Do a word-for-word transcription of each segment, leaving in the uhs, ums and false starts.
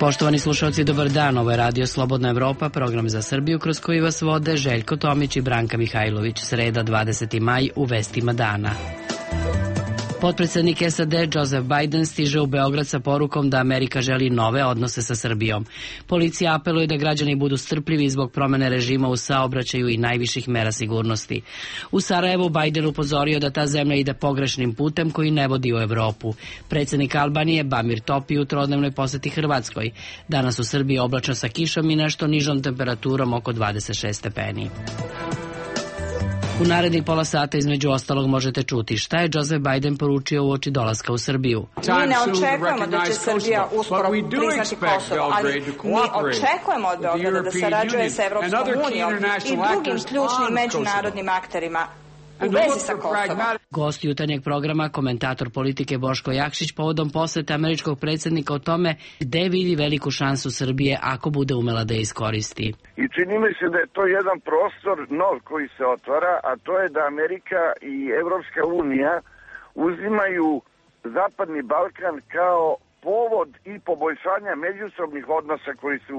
Poštovani slušalci, dobar dan. Ovo je Radio Slobodna Evropa, program za Srbiju kroz koji vas vode Željko Tomić i Branka Mihajlović. Sreda, dvadeseti maj, u vestima dana. Potpredsednik S A D Joseph Biden stiže u Beograd sa porukom da Amerika želi nove odnose sa Srbijom. Policija apeluje da građani budu strpljivi zbog promene režima u saobraćaju i najviših mera sigurnosti. U Sarajevu Biden upozorio da ta zemlja ide pogrešnim putem koji ne vodi u Evropu. Predsednik Albanije Bamir Topi u trodnevnoj poseti Hrvatskoj. Danas u Srbiji oblačno sa kišom i nešto nižom temperaturom oko dvadeset šest stepeni. U narednih pola sata između ostalog možete čuti šta je Joseph Biden poručio uoči dolaska u Srbiju. Mi ne očekujemo da će Srbija uskoro priznati Kosovo, ali mi očekujemo od Beograda da sarađuje sa Evropskom unijom i drugim ključnim međunarodnim akterima u vezi sa Kosovom. Gost jutarnjeg programa, komentator politike Boško Jakšić, povodom posete američkog predsjednika o tome gde vidi veliku šansu Srbije ako bude umela da je iskoristi. I čini mi se da je to jedan prostor nov koji se otvara, a to je da Amerika i Evropska unija uzimaju Zapadni Balkan kao povod i poboljšanja međusobnih odnosa koji su,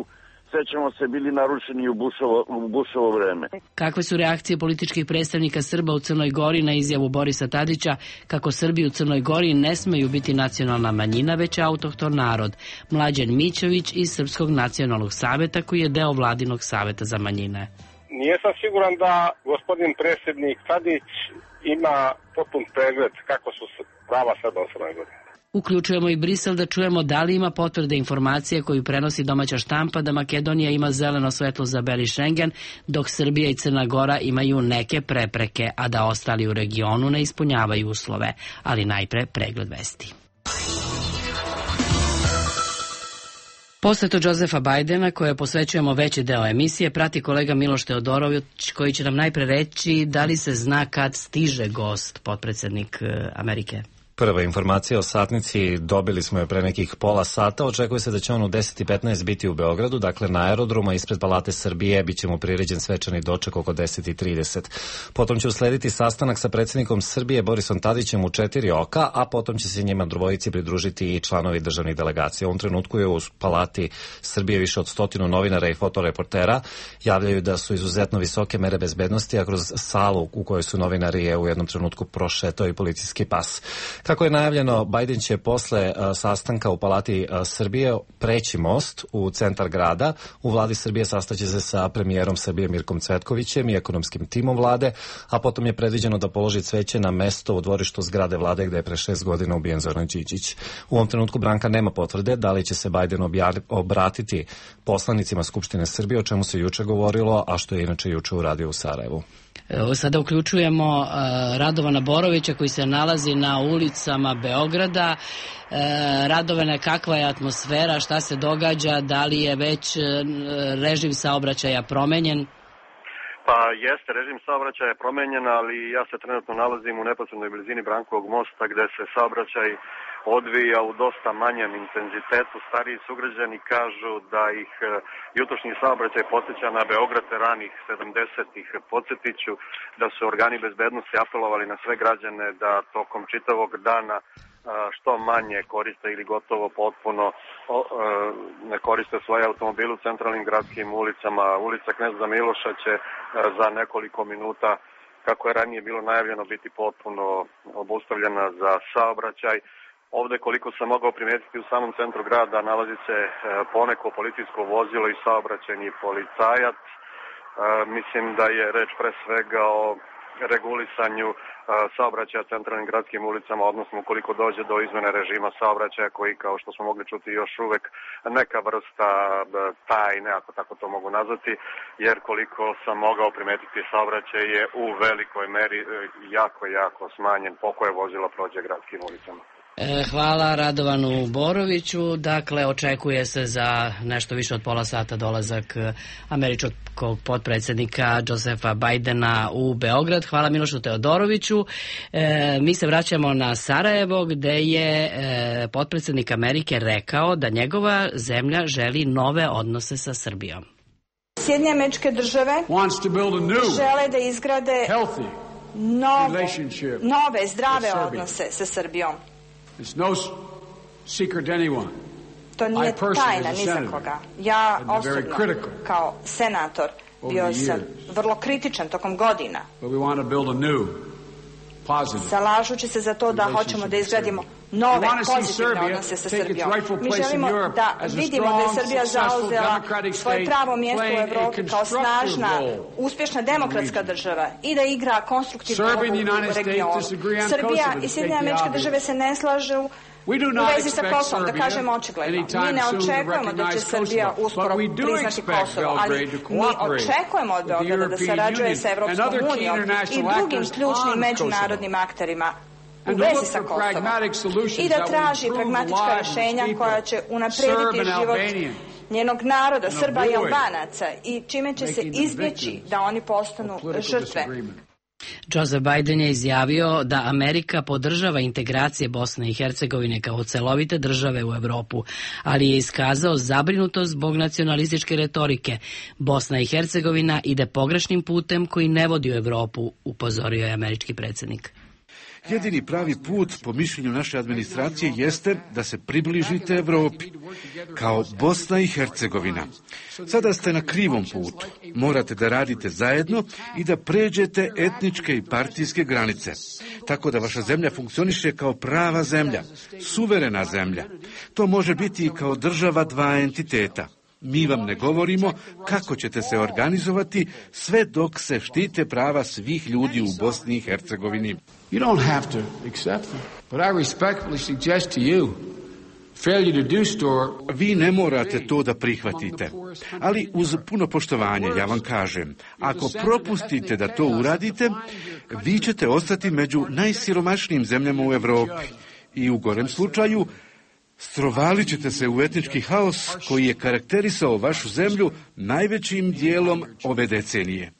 sećamo se, bili narušeni u Bushovo, u Bushovo vreme. Kakve su reakcije političkih predstavnika Srba u Crnoj Gori na izjavu Borisa Tadića kako Srbi u Crnoj Gori ne smeju biti nacionalna manjina, već autohton narod? Mlađan Mićović iz Srpskog nacionalnog saveta, koji je deo Vladinog saveta za manjine. Nijesam siguran da gospodin predsjednik Tadić ima potpun pregled kako su prava Srba u Crnoj Gori. Uključujemo i Brisel da čujemo da li ima potvrde informacije koju prenosi domaća štampa da Makedonija ima zeleno svetlo za beli Šengen, dok Srbija i Crna Gora imaju neke prepreke, a da ostali u regionu ne ispunjavaju uslove. Ali najpre pregled vesti. Posetu Josefa Bidena, koje posvećujemo veći deo emisije, prati kolega Miloš Teodorović, koji će nam najpre reći da li se zna kad stiže gost, potpredsednik Amerike. Prva informacija o satnici dobili smo je pre nekih pola sata. Očekuje se da će on u deset i petnaest biti u Beogradu, dakle na aerodromu, ispred Palate Srbije bit će mu priređen svečani doček oko deset i trideset. Potom će uslediti sastanak sa predsjednikom Srbije Borisom Tadićem u četiri oka, a potom će se njima dvojici pridružiti i članovi državnih delegacija. U ovom trenutku je u Palati Srbije više od stotinu novinara i fotoreportera. Javljaju da su izuzetno visoke mere bezbednosti, a kroz salu u kojoj su novinari je u jednom trenutku prošetao i policijski pas. Kako je najavljeno, Biden će posle a, sastanka u Palati a, Srbije preći most u centar grada. U vladi Srbije sastaće se sa premijerom Srbije Mirkom Cvetkovićem i ekonomskim timom vlade, a potom je predviđeno da položi cveće na mesto u dvorištu zgrade vlade gde je pre šest godina ubijen Zoran Đinđić. U ovom trenutku Branka nema potvrde da li će se Biden objavi, obratiti poslanicima Skupštine Srbije, o čemu se juče govorilo, a što je inače juče uradio u Sarajevu. Sada uključujemo uh, Radovana Borovića koji se nalazi na ulicama Beograda. Uh, Radovane, kakva je atmosfera, šta se događa, da li je već uh, režim saobraćaja promenjen? Pa jeste, režim saobraćaja je promenjen, ali ja se trenutno nalazim u neposrednoj blizini Brankovog mosta gde se saobraćaj odvija u dosta manjem intenzitetu. Stariji sugrađani kažu da ih jutrošnji saobraćaj podsjeća na Beograd ranih sedamdesetih. Podsjetiću da su organi bezbednosti apelovali na sve građane da tokom čitavog dana što manje koriste ili gotovo potpuno ne koriste svoje automobile u centralnim gradskim ulicama. Ulica Kneza Miloša će za nekoliko minuta, kako je ranije bilo najavljeno, biti potpuno obustavljena za saobraćaj. Ovde, koliko sam mogao primetiti, u samom centru grada nalazi se poneko policijsko vozilo i saobraćajni policajac. Mislim da je reč pre svega o regulisanju saobraćaja centralnim gradskim ulicama, odnosno ukoliko dođe do izmene režima saobraćaja koji, kao što smo mogli čuti, još uvek neka vrsta tajne, ako tako to mogu nazvati, jer koliko sam mogao primetiti, saobraćaj je u velikoj meri jako, jako smanjen po koje vozilo prođe gradskim ulicama. Hvala Radovanu Boroviću. Dakle, očekuje se za nešto više od pola sata dolazak američkog potpredsjednika Josefa Bidena u Beograd. Hvala Milošu Teodoroviću. E, mi se vraćamo na Sarajevo, gde je e, potpredsjednik Amerike rekao da njegova zemlja želi nove odnose sa Srbijom. Sjedinjene Američke Države žele da izgrade nove, nove zdrave odnose sa Srbijom. It's no secret to anyone To nije tajna ni za koga. Ja osobno, kao senator, bio sam vrlo kritičan tokom godina. Zalažući se za to da hoćemo da izgradimo nove pozitivne odnose sa Srbijom. Mi želimo da vidimo da je Srbija zauzela svoje pravo mjesto u Evropi kao snažna, uspješna demokratska država i da igra konstruktivnu ulogu u regionu. Srbija i Sjedinjene Američke Države se ne slažu u vezi sa Kosovom, da kažemo očigledno. Mi ne očekujemo da će Srbija uskoro priznati Kosovo, ali mi očekujemo od Beograda da sarađuje sa Evropskom unijom i drugim ključnim međunarodnim akterima u vezi sa Kosovom i da traži pragmatička rješenja koja će unaprijediti život njenog naroda, Srba i Albanaca, i čime će se izbjeći da oni postanu žrtve. Joseph Biden je izjavio da Amerika podržava integracije Bosne i Hercegovine kao celovite države u Evropu, ali je iskazao zabrinutost zbog nacionalističke retorike. Bosna i Hercegovina ide pogrešnim putem koji ne vodi u Evropu, upozorio je američki predsjednik. Jedini pravi put, po mišljenju naše administracije, jeste da se približite Evropi, kao Bosna i Hercegovina. Sada ste na krivom putu. Morate da radite zajedno i da pređete etničke i partijske granice, tako da vaša zemlja funkcioniše kao prava zemlja, suverena zemlja. To može biti i kao država dva entiteta. Mi vam ne govorimo kako ćete se organizovati sve dok se štite prava svih ljudi u Bosni i Hercegovini. You don't have to accept them, but I respectfully suggest to you failure to do so. Vi ne morate to da prihvatite, ali uz puno poštovanje ja vam kažem, ako propustite da to uradite, vi ćete ostati među najsiromašnijim zemljama u Evropi i u gorem slučaju strovalit ćete se u etnički haos koji je karakterisao vašu zemlju najvećim dijelom ove decenije.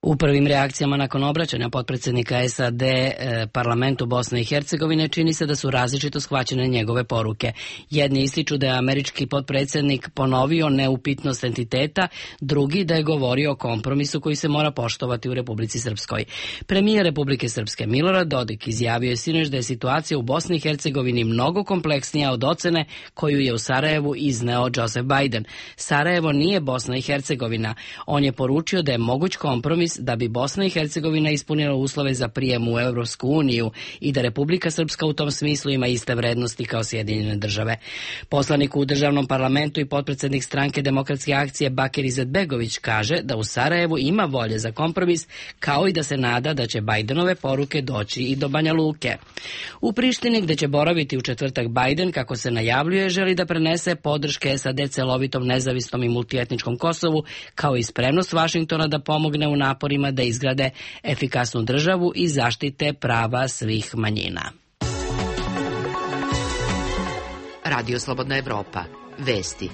U prvim reakcijama nakon obraćanja potpredsjednika S A D eh, parlamentu Bosne i Hercegovine čini se da su različito shvaćene njegove poruke. Jedni ističu da je američki potpredsjednik ponovio neupitnost entiteta, drugi da je govorio o kompromisu koji se mora poštovati u Republici Srpskoj. Premijer Republike Srpske Milorad Dodik izjavio je sinoć da je situacija u Bosni i Hercegovini mnogo kompleksnija od ocene koju je u Sarajevu izneo Joseph Biden. Sarajevo nije Bosna i Hercegovina. On je poručio da je moguć kompromis da bi Bosna i Hercegovina ispunila uslove za prijem u Evropsku uniju i da Republika Srpska u tom smislu ima iste vrednosti kao Sjedinjene države. Poslanik u državnom parlamentu i potpredsjednik stranke Demokratske akcije Bakir Izetbegović kaže da u Sarajevu ima volje za kompromis, kao i da se nada da će Bidenove poruke doći i do Banja Luke. U Prištini, gde će boraviti u četvrtak Biden, kako se najavljuje, želi da prenese podrške S A D celovitom, nezavisnom i multietničkom Kosovu, kao i spremnost Vašingtona da pomogne u naporima da izgrade efikasnu državu i zaštite prava svih manjina. Radio Slobodna Evropa. Vesti.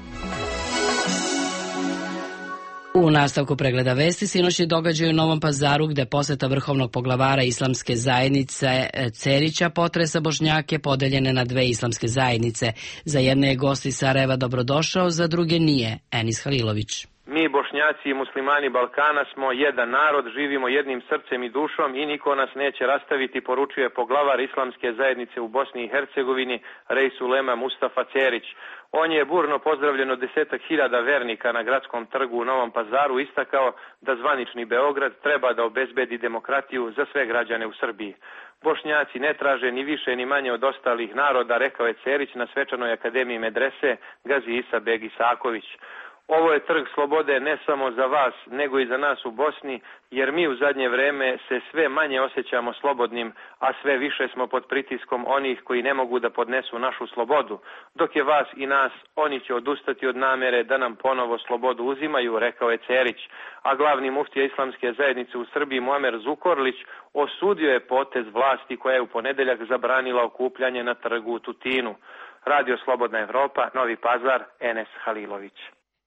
U nastavku pregleda vesti sinoćni događaj u Novom Pazaru, gde poseta vrhovnog poglavara islamske zajednice Cerića potresa Bošnjake podeljene na dve islamske zajednice. Za jedne je gost iz Sarajeva dobrodošao, za druge nije. Enis Halilović. Mi, Bošnjaci i muslimani Balkana, smo jedan narod, živimo jednim srcem i dušom i niko nas neće rastaviti, poručuje poglavar islamske zajednice u Bosni i Hercegovini, Reis Ulema Mustafa Cerić. On je burno pozdravljen od desetak hiljada vernika na gradskom trgu u Novom Pazaru, istakao da zvanični Beograd treba da obezbedi demokratiju za sve građane u Srbiji. Bošnjaci ne traže ni više ni manje od ostalih naroda, rekao je Cerić na svečanoj akademiji medrese Gazi Isa Beg Isaković. Ovo je trg slobode ne samo za vas, nego i za nas u Bosni, jer mi u zadnje vreme se sve manje osjećamo slobodnim, a sve više smo pod pritiskom onih koji ne mogu da podnesu našu slobodu. Dok je vas i nas, oni će odustati od namere da nam ponovo slobodu uzimaju, rekao je Cerić. A glavni muftija islamske zajednice u Srbiji Muamer Zukorlić osudio je potez vlasti koja je u ponedeljak zabranila okupljanje na trgu u Tutinu. Radio Slobodna Evropa, Novi Pazar, Enes Halilović.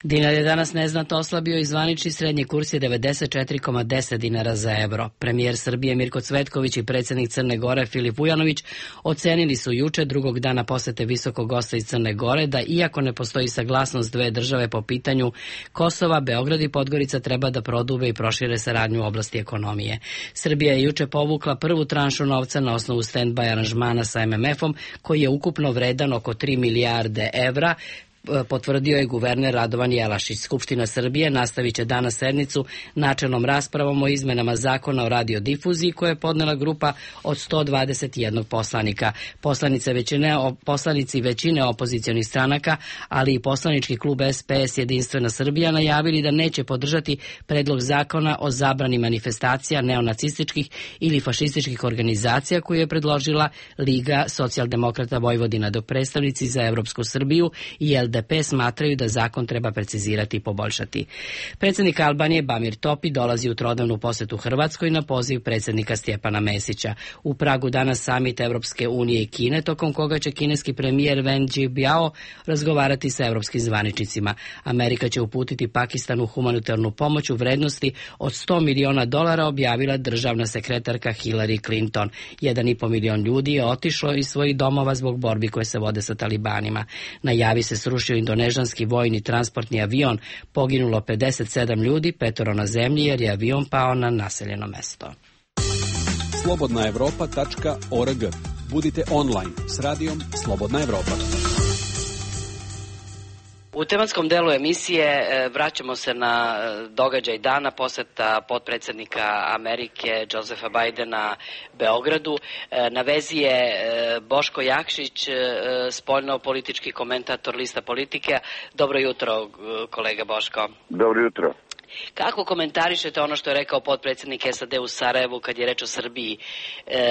Dinar je danas neznatno oslabio i zvanični srednji kurs je devedeset četiri zarez deset dinara za evro. Premijer Srbije Mirko Cvetković i predsjednik Crne Gore Filip Vujanović ocenili su juče, drugog dana posete visokog gosta iz Crne Gore, da iako ne postoji saglasnost dve države po pitanju Kosova, Beograd i Podgorica treba da prodube i prošire saradnju u oblasti ekonomije. Srbija je juče povukla prvu tranšu novca na osnovu stand-by aranžmana sa M M F-om, koji je ukupno vredan oko tri milijarde evra, potvrdio je guverner Radovan Jelašić. Skupština Srbije nastavit će danas sednicu načelnom raspravom o izmenama zakona o radiodifuziji koje je podnela grupa od sto dvadeset jedan poslanika. Poslanice većine, poslanici većine opozicionih stranaka, ali i poslanički klub S P S Jedinstvena Srbija najavili da neće podržati predlog zakona o zabrani manifestacija neonacističkih ili fašističkih organizacija koju je predložila Liga socijaldemokrata Vojvodina, dok predstavnici za Evropsku Srbiju i L D P smatraju da zakon treba precizirati i poboljšati. Predsjednik Albanije Bamir Topi dolazi u trodnevnu posetu Hrvatskoj na poziv predsjednika Stjepana Mesića. U Pragu danas samit Evropske unije i Kine, tokom koga će kineski premijer Wen Jiabao razgovarati sa evropskim zvaničnicima. Amerika će uputiti Pakistanu humanitarnu pomoć u vrednosti od sto miliona dolara, objavila državna sekretarka Hillary Clinton. Jedan i po milion ljudi je otišlo iz svojih domova zbog borbi koje se vode sa talibanima. Na Javi se srušio indonežanski vojni transportni avion, poginulo pedeset sedam ljudi, petoro na zemlji jer je avion pao na naseljeno mesto. slobodna evropa tačka org. Budite online s radijom Slobodna Evropa. U tematskom delu emisije vraćamo se na događaj dana, poseta potpredsjednika Amerike Josefa Bidena Beogradu. Na vezi je Boško Jakšić, spoljno-politički komentator Lista Politike. Dobro jutro, kolega Boško. Dobro jutro. Kako komentarišete ono što je rekao potpredsjednik S A D u Sarajevu kad je reč o Srbiji,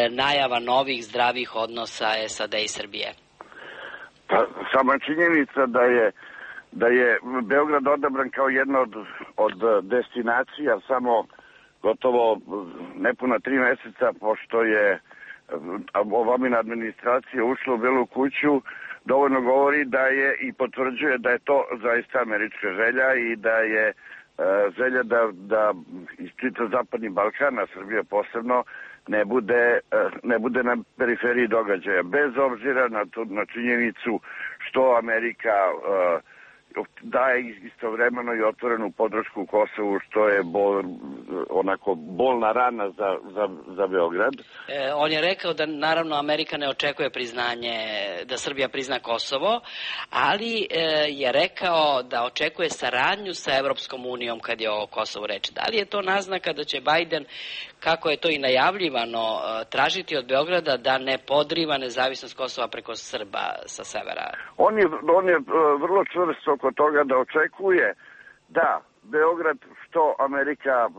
najava novih zdravih odnosa S A D i Srbije? Pa, sama činjenica da je da je Beograd odabran kao jedna od, od destinacija samo gotovo nepuna tri meseca pošto je Obamina administracija ušla u Belu kuću, dovoljno govori da je i potvrđuje da je to zaista američka želja i da je želja da, da iz čitav Zapadni Balkan, a Srbija posebno, ne bude, ne bude na periferiji događaja. Bez obzira na, to, na činjenicu što Amerika uh, daje istovremeno i otvorenu podršku Kosovu, što je bol, onako bolna rana za, za, za Beograd. E, on je rekao da naravno Amerika ne očekuje priznanje, da Srbija prizna Kosovo, ali e, je rekao da očekuje saradnju sa Evropskom unijom kad je o Kosovu reč. Da li je to naznaka da će Biden, kako je to i najavljivano, tražiti od Beograda da ne podriva nezavisnost Kosova preko Srba sa severa? On je, on je vrlo čvrst oko toga da očekuje da Beograd, što Amerika uh,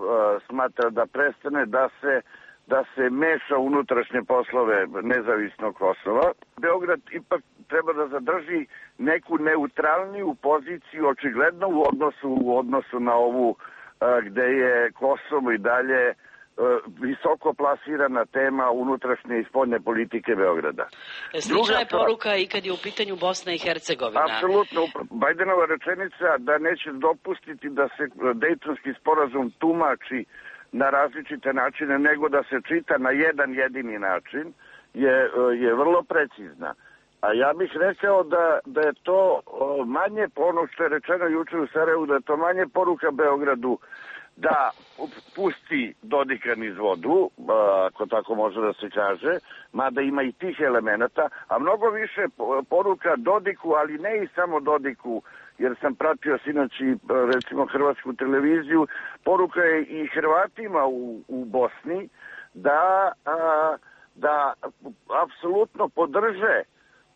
smatra da prestane, da se, da se meša u unutrašnje poslove nezavisnog Kosova. Beograd ipak treba da zadrži neku neutralniju poziciju, očigledno u odnosu, u odnosu na ovu uh, gde je Kosovo i dalje visoko plasirana tema unutrašnje i spoljne politike Beograda. Slična je poruka i kad je u pitanju Bosna i Hercegovina. Apsolutno. Bidenova rečenica da neće dopustiti da se Dejtonski sporazum tumači na različite načine, nego da se čita na jedan jedini način, je, je vrlo precizna. A ja bih rekao da, da je to manje, ono što je rečeno juče u Sarajevu, da je to manje poruka Beogradu da pusti Dodika niz vodu, ako tako može da se kaže, mada ima i tih elemenata, a mnogo više poruka Dodiku, ali ne i samo Dodiku, jer sam pratio sinoć i recimo hrvatsku televiziju, poruka je i Hrvatima u, u Bosni da, a, da apsolutno podrže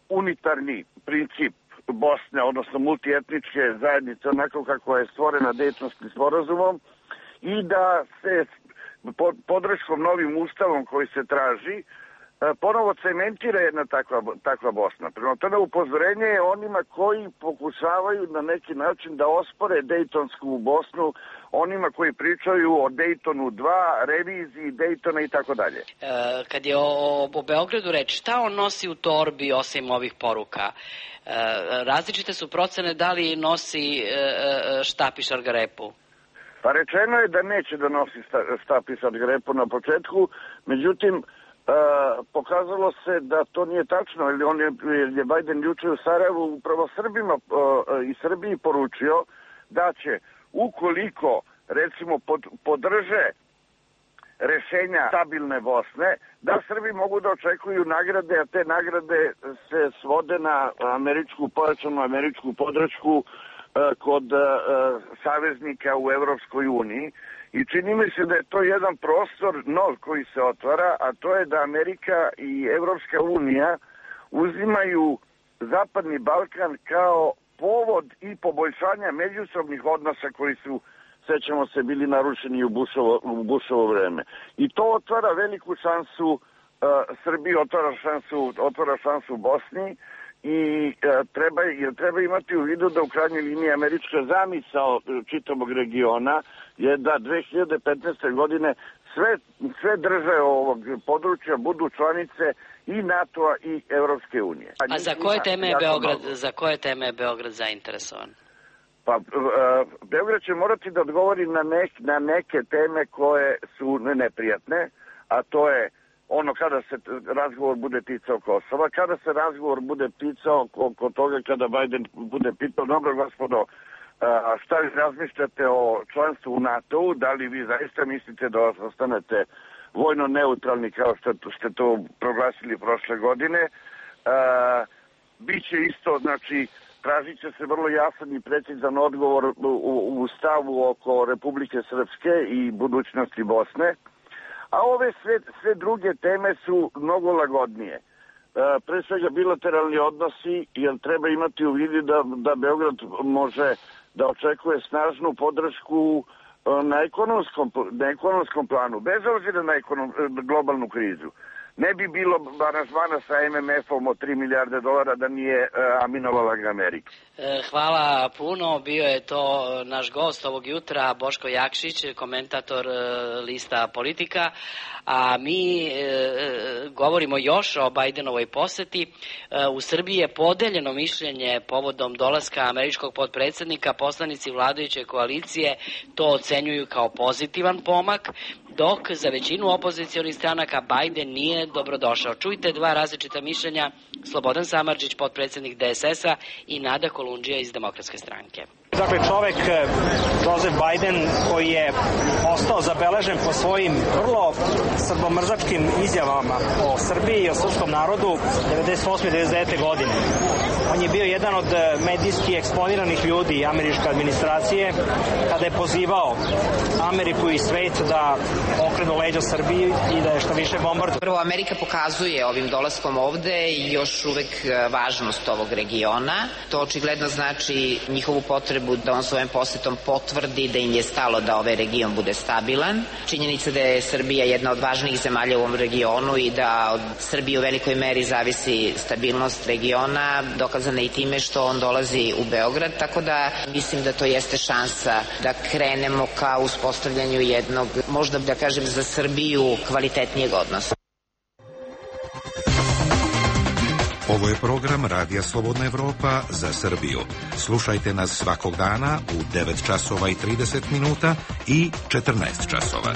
unitarni princip Bosne, odnosno multietničke zajednice, onako kako je stvorena Dejtonskim sporazumom, i da se podrškom novim ustavom koji se traži ponovo cementira jedna takva, takva Bosna. Prema tome upozorenje je onima koji pokušavaju na neki način da ospore Dejtonsku Bosnu, onima koji pričaju o Dejtonu dva, reviziji Dejtona i tako dalje. Kad je o, o Beogradu reč, šta on nosi u torbi osim ovih poruka? E, različite su procene da li nosi e, štap i šargarepu. Pa rečeno je da neće da nosi štap i šargarepu na početku, međutim, E, pokazalo se da to nije tačno, jer on je, je Biden juče u Sarajevu upravo Srbima e, i Srbiji poručio da će, ukoliko recimo pod, podrže rešenja stabilne Bosne, da Srbi mogu da očekuju nagrade, a te nagrade se svode na američku, pojačanu američku podršku kod saveznika u Evropskoj uniji. I čini mi se da je to jedan prostor nov koji se otvara, a to je da Amerika i Evropska unija uzimaju Zapadni Balkan kao povod i poboljšanja međusobnih odnosa koji su, sećamo se, bili narušeni u Bushovo, u Bushovo vreme. I to otvara veliku šansu uh, Srbiji, otvara šansu, otvara šansu Bosni i uh, treba, jer treba imati u vidu da u krajnjoj liniji američka zamisao čitavog regiona je da dve hiljade petnaeste. godine sve, sve države ovog područja budu članice i NATO-a i Evropske unije. A za koje teme je Beograd, za koje teme je Beograd zainteresovan? Pa, uh, Beograd će morati da odgovori na, nek, na neke teme koje su neprijatne, a to je ono kada se razgovor bude ticao Kosova, kada se razgovor bude ticao oko toga kada Biden bude pitao, dobro gospodo, a šta vi razmišljate o članstvu u NATO-u, da li vi zaista mislite da ostanete vojno neutralni kao što ste to proglasili prošle godine. A, biće isto, znači, tražit će se vrlo jasan i precizan odgovor u, u stavu oko Republike Srpske i budućnosti Bosne. A ove sve, sve druge teme su mnogo lagodnije. E, pre svega bilateralni odnosi, jer treba imati u vidu da, da Beograd može da očekuje snažnu podršku na ekonomskom, na ekonomskom planu, bez obzira na ekonom, globalnu krizu. Ne bi bilo aranžmana sa M M F-om od tri milijarde dolara da nije uh, aminovala ga Amerika. Hvala puno. Bio je to naš gost ovog jutra, Boško Jakšić, komentator uh, lista Politika. A mi uh, govorimo još o Bajdenovoj poseti. Uh, u Srbiji je podeljeno mišljenje povodom dolaska američkog potpredsednika. Poslanici vladajuće koalicije to ocenjuju kao pozitivan pomak, dok za većinu opozicionih stranaka Bajden nije dobrodošao. Čujte dva različita mišljenja, Slobodan Samardžić, potpredsednik D S S-a, i Nada Kolundžija iz Demokratske stranke. Dakle, čovek Joseph Biden koji je ostao zabeležen po svojim vrlo srbomrzačkim izjavama o Srbiji i o srpskom narodu devedeset osme i devedeset devete. godine. On je bio jedan od medijski eksponiranih ljudi američke administracije kada je pozivao Ameriku i svet da okrenu leđa Srbiji i da je što više bombarduje. Prvo, Amerika pokazuje ovim dolaskom ovde još uvek važnost ovog regiona. To očigledno znači njihovu potrebu da on svojom posetom potvrdi da im je stalo da ovaj region bude stabilan. Činjenica da je Srbija jedna od važnijih zemalja u ovom regionu i da od Srbije u velikoj meri zavisi stabilnost regiona, dokazana i time što on dolazi u Beograd, tako da mislim da to jeste šansa da krenemo ka uspostavljanju jednog, možda da kažem za Srbiju, kvalitetnijeg odnosa. Ovo je program Radija Slobodna Evropa za Srbiju. Slušajte nas svakog dana u devet časova i trideset minuta i četrnaest časova.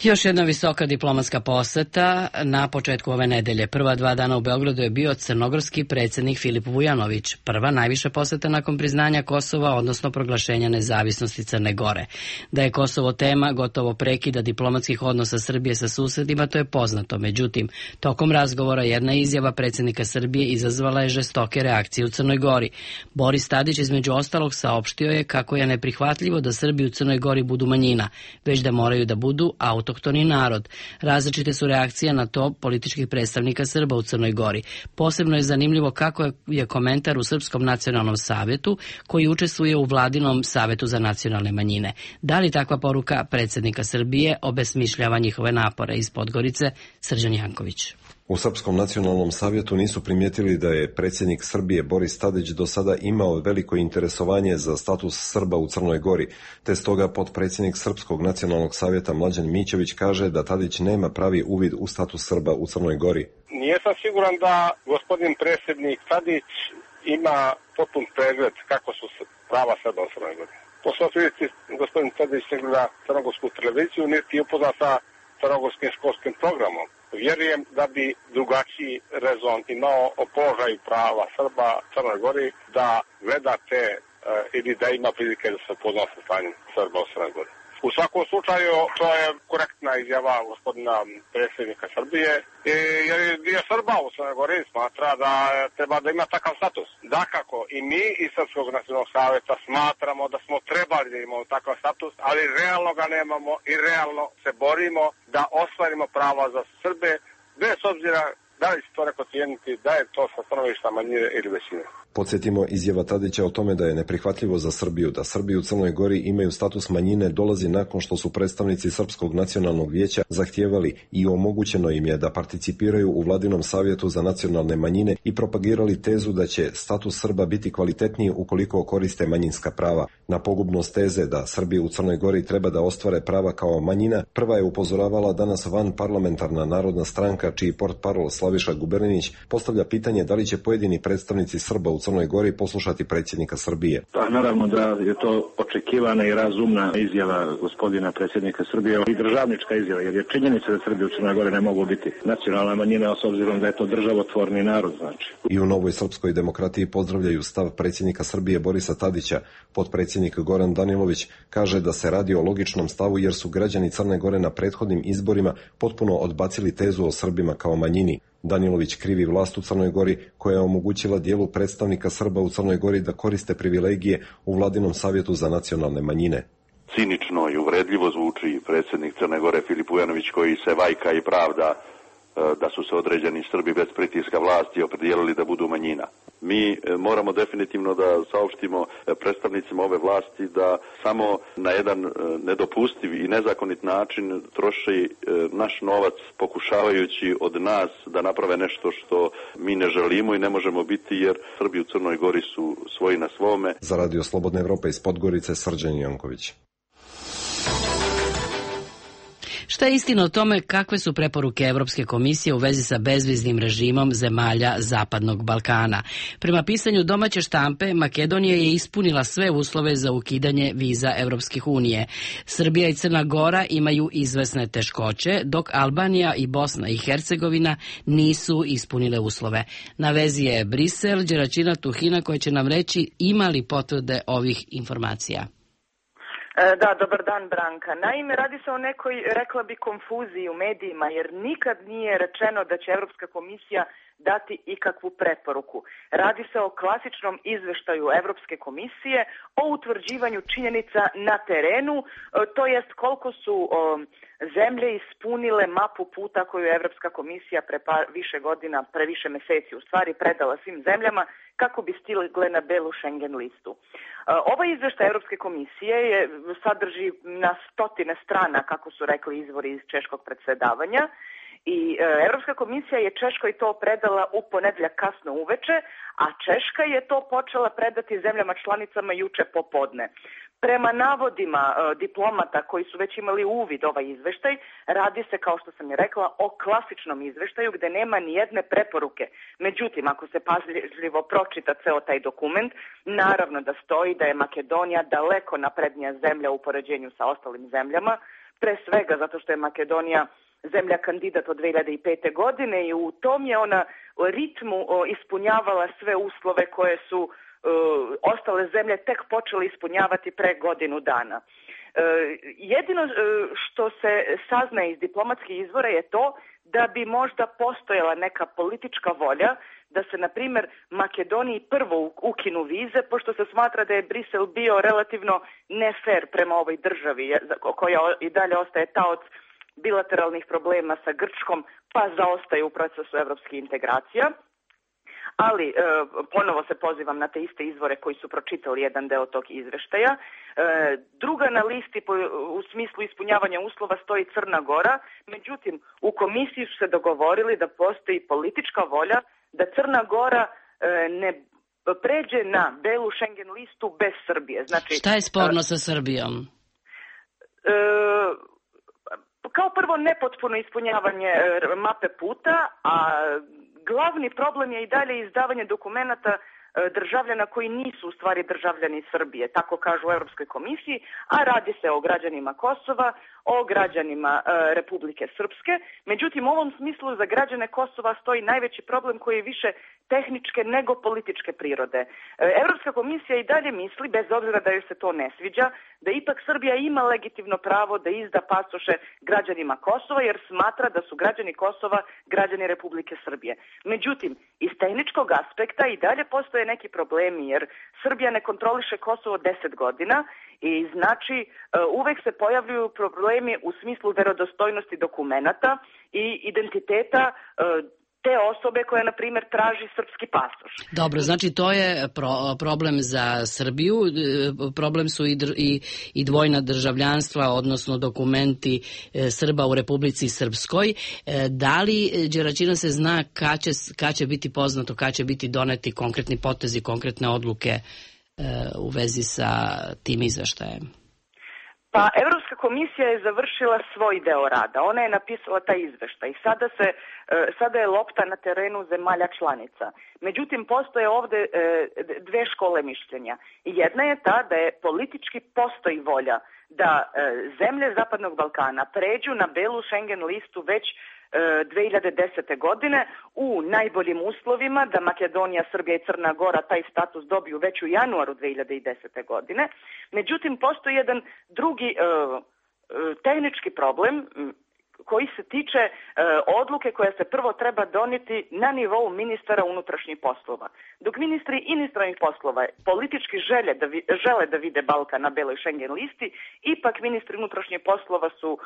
Još jedna visoka diplomatska poseta na početku ove nedelje. Prva dva dana u Beogradu je bio crnogorski predsjednik Filip Vujanović. Prva najviša poseta nakon priznanja Kosova, odnosno proglašenja nezavisnosti Crne Gore. Da je Kosovo tema gotovo prekida diplomatskih odnosa Srbije sa susedima, to je poznato. Međutim, tokom razgovora jedna izjava predsjednika Srbije izazvala je žestoke reakcije u Crnoj Gori. Boris Tadić između ostalog saopštio je kako je neprihvatljivo da Srbi u Crnoj Gori budu manjina, već da moraju da budu autohtoni narod. Različite su reakcije na to političkih predstavnika Srba u Crnoj Gori. Posebno je zanimljivo kako je komentar u Srpskom nacionalnom savetu, koji učestvuje u Vladinom savetu za nacionalne manjine. Da li takva poruka predsjednika Srbije obesmišljava njihove napore? Iz Podgorice, Srđan Janković. U Srpskom nacionalnom savjetu nisu primijetili da je predsjednik Srbije Boris Tadić do sada imao veliko interesovanje za status Srba u Crnoj Gori, te stoga potpredsjednik Srpskog nacionalnog savjeta Mlađan Mićević kaže da Tadić nema pravi uvid u status Srba u Crnoj Gori. Nisam siguran da gospodin predsjednik Tadić ima potpun pregled kako su prava Srba u Crnoj Gori. Po svom vidjeti, gospodin Tadić ne gleda crnogorsku televiziju, niti je upoznat sa crnogorskim školskim programom. Vjerujem da bi drugačiji rezon imao o položaju prava Srba u Crnoj Gori da gleda te ili da ima prilike da se upozna sa stanjem Srba u Crnoj Gori. U svakom slučaju, to je korektna izjava gospodina predsjednika Srbije, jer je dio Srba u Crnoj Gori smatra da treba da ima takav status. Dakako, i mi iz Srpskog nacionalnog savjeta smatramo da smo trebali da imamo takav status, ali realno ga nemamo i realno se borimo da ostvarimo prava za Srbe, bez obzira da li se to neko cijeniti, da je to sa stanovišta manjine ili većine. Podsjetimo, izjava Tadića o tome da je neprihvatljivo za Srbiju da Srbi u Crnoj Gori imaju status manjine dolazi nakon što su predstavnici Srpskog nacionalnog vijeća zahtijevali i omogućeno im je da participiraju u Vladinom savjetu za nacionalne manjine i propagirali tezu da će status Srba biti kvalitetniji ukoliko koriste manjinska prava. Na pogubnost teze da Srbi u Crnoj Gori treba da ostvare prava kao manjina, prva je upozoravala danas van parlamentarna Narodna stranka, čiji portparol Slaviša Guberninić postavlja pitanje da li će pojedini predstavnici Srba u Crnoj Gori poslušati predsjednika Srbije. Pa naravno da je to očekivana i razumna izjava gospodina predsjednika Srbije i državnička izjava, jer je činjenica da Srbi u Crnoj Gori ne mogu biti nacionalna manjina, s obzirom da je to državotvorni narod, znači. I u Novoj srpskoj demokratiji pozdravljaju stav predsjednika Srbije Borisa Tadića. Potpredsjednik Goran Danilović kaže da se radi o logičnom stavu jer su građani Crne Gore na prethodnim izborima potpuno odbacili tezu o Srbima kao manjini. Danilović krivi vlast u Crnoj Gori koja je omogućila dijelu predstavnika Srba u Crnoj Gori da koriste privilegije u Vladinom savjetu za nacionalne manjine. Cinično i uvredljivo zvuči predsjednik Crne Gore Filip Vujanović koji se vajka i pravda da su se određeni Srbi bez pritiska vlasti opredijelili da budu manjina. Mi moramo definitivno da saopštimo predstavnicima ove vlasti da samo na jedan nedopustiv i nezakonit način troši naš novac pokušavajući od nas da naprave nešto što mi ne želimo i ne možemo biti, jer Srbi u Crnoj Gori su svoji na svome. Za Radio Slobodna Evropa iz Podgorice, Srđan Janković. Šta je istina o tome kakve su preporuke Evropske komisije u vezi sa bezviznim režimom zemalja Zapadnog Balkana? Prema pisanju domaće štampe, Makedonija je ispunila sve uslove za ukidanje viza Evropskih unije. Srbija i Crna Gora imaju izvesne teškoće, dok Albanija i Bosna i Hercegovina nisu ispunile uslove. Na vezi je Brisel, Đeračina Tuhina koja će nam reći ima li potvrde ovih informacija. Da, dobar dan Branka. Naime, radi se o nekoj, rekla bi, konfuziji u medijima, jer nikad nije rečeno da će Evropska komisija dati ikakvu preporuku. Radi se o klasičnom izveštaju Evropske komisije o utvrđivanju činjenica na terenu, to jest koliko su o, zemlje ispunile mapu puta koju je Evropska komisija pre pa, više godina, pre više meseci u stvari predala svim zemljama kako bi stigle na belu Schengen listu. Ovaj izveštaj Evropske komisije je, sadrži na stotine strana, kako su rekli izvori iz češkog predsjedavanja, i Evropska komisija je Češkoj to predala u ponedjeljak kasno uveče, a Češka je to počela predati zemljama članicama juče popodne. Prema navodima e, diplomata koji su već imali uvid ovaj izveštaj, radi se, kao što sam je rekla, o klasičnom izveštaju gde nema ni jedne preporuke. Međutim, ako se pažljivo pročita ceo taj dokument, naravno da stoji da je Makedonija daleko naprednija zemlja u poređenju sa ostalim zemljama, pre svega zato što je Makedonija zemlja kandidat od dve hiljade pete. godine i u tom je ona ritmu ispunjavala sve uslove koje su uh, ostale zemlje tek počele ispunjavati pre godinu dana. Uh, jedino uh, što se sazna iz diplomatskih izvora je to da bi možda postojala neka politička volja da se, na primjer, Makedoniji prvo ukinu vize, pošto se smatra da je Brisel bio relativno nefer prema ovoj državi, koja i dalje ostaje taoc bilateralnih problema sa Grčkom, pa zaostaje u procesu evropskih integracija. Ali, e, ponovo se pozivam na te iste izvore koji su pročitali jedan deo tog izveštaja. E, druga na listi po, u smislu ispunjavanja uslova stoji Crna Gora, međutim, u komisiji su se dogovorili da postoji politička volja da Crna Gora e, ne pređe na belu Schengen listu bez Srbije. Znači, šta je sporno e, sa Srbijom? E, Kao prvo, nepotpuno ispunjavanje mape puta, a glavni problem je i dalje izdavanje dokumenata državljana koji nisu u stvari državljani Srbije, tako kažu u Europskoj komisiji, a radi se o građanima Kosova, o građanima e, Republike Srpske. Međutim, u ovom smislu za građane Kosova stoji najveći problem koji je više tehničke nego političke prirode. Evropska komisija i dalje misli, bez obzira da joj se to ne sviđa, da ipak Srbija ima legitimno pravo da izda pasoše građanima Kosova, jer smatra da su građani Kosova građani Republike Srbije. Međutim, iz tehničkog aspekta i dalje postoje neki problemi, jer Srbija ne kontroliše Kosovo deset godina i znači uvek se pojavljuju problemi u smislu verodostojnosti dokumenata i identiteta te osobe koja, na primjer, traži srpski pasoš. Dobro, znači to je pro, problem za Srbiju, problem su i, dr, i, i dvojna državljanstva, odnosno dokumenti e, Srba u Republici Srpskoj. E, da li, Đeračina, se zna kad će, kad će biti poznato, kad će biti doneti konkretni potezi, konkretne odluke e, u vezi sa tim izveštajem? Pa, Evropska komisija je završila svoj deo rada. Ona je napisala taj izveštaj. Sada, se, sada je lopta na terenu zemalja članica. Međutim, postoje ovde dve škole mišljenja. Jedna je ta da je politički postoji volja da zemlje Zapadnog Balkana pređu na belu Schengen listu već dve hiljade desete. godine u najboljim uslovima, da Makedonija, Srbija i Crna Gora taj status dobiju već u januaru dve hiljade desete. godine. Međutim, postoji jedan drugi uh, tehnički problem koji se tiče e, odluke koja se prvo treba donijeti na nivou ministara unutrašnjih poslova. Dok ministri inostranih poslova politički žele da, vi, žele da vide Balkan na beloj Schengen listi, ipak ministri unutrašnjih poslova su, e,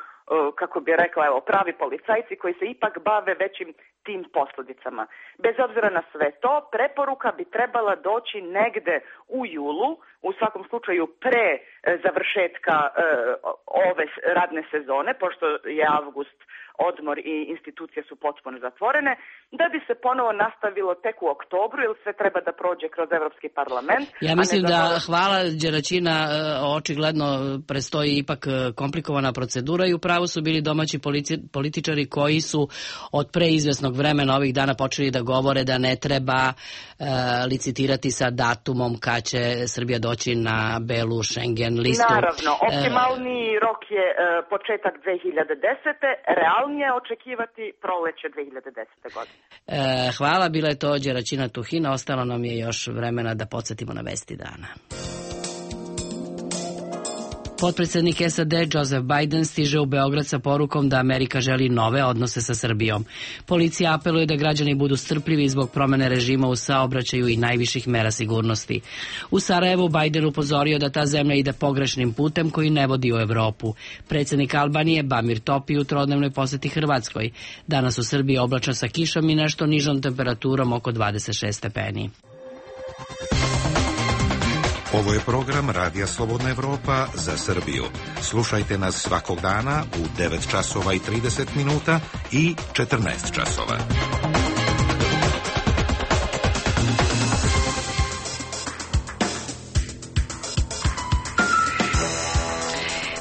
kako bi rekla, evo, pravi policajci koji se ipak bave većim tim posljedicama. Bez obzira na sve to, preporuka bi trebala doći negde u julu, u svakom slučaju pre e, završetka e, ove radne sezone, pošto je avgust odmor i institucije su potpuno zatvorene, da bi se ponovo nastavilo tek u oktobru, jer sve treba da prođe kroz Evropski parlament. Ja mislim da, hvala Đeračina, očigledno prestoji ipak komplikovana procedura i upravo su bili domaći političari koji su od preizvesnog vremena ovih dana počeli da govore da ne treba e, licitirati sa datumom kad će Srbija doći na belu Schengen listu. Naravno, optimalni rok je e, početak dve hiljade desete. Realnije očekivati proleće dve hiljade desete. godine. E, hvala, bila je to Đeračina Tuhina, ostalo nam je još vremena da podsjetimo na vesti dana. Potpredsjednik S A D Joseph Biden stiže u Beograd sa porukom da Amerika želi nove odnose sa Srbijom. Policija apeluje da građani budu strpljivi zbog promene režima u saobraćaju i najviših mera sigurnosti. U Sarajevu Biden upozorio da ta zemlja ide pogrešnim putem koji ne vodi u Evropu. Predsjednik Albanije Bamir Topi u trodnevnoj poseti Hrvatskoj. Danas u Srbiji oblačno sa kišom i nešto nižom temperaturom oko dvadeset šest stepeni. Ovo je program Radija Slobodna Evropa za Srbiju. Slušajte nas svakog dana u devet časova i trideset minuta i četrnaest časova.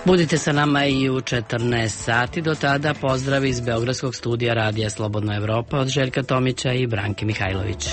Budite sa nama i u četrnaest sati. Do tada pozdrav iz Beogradskog studija Radija Slobodna Evropa od Željka Tomića i Branke Mihajlović.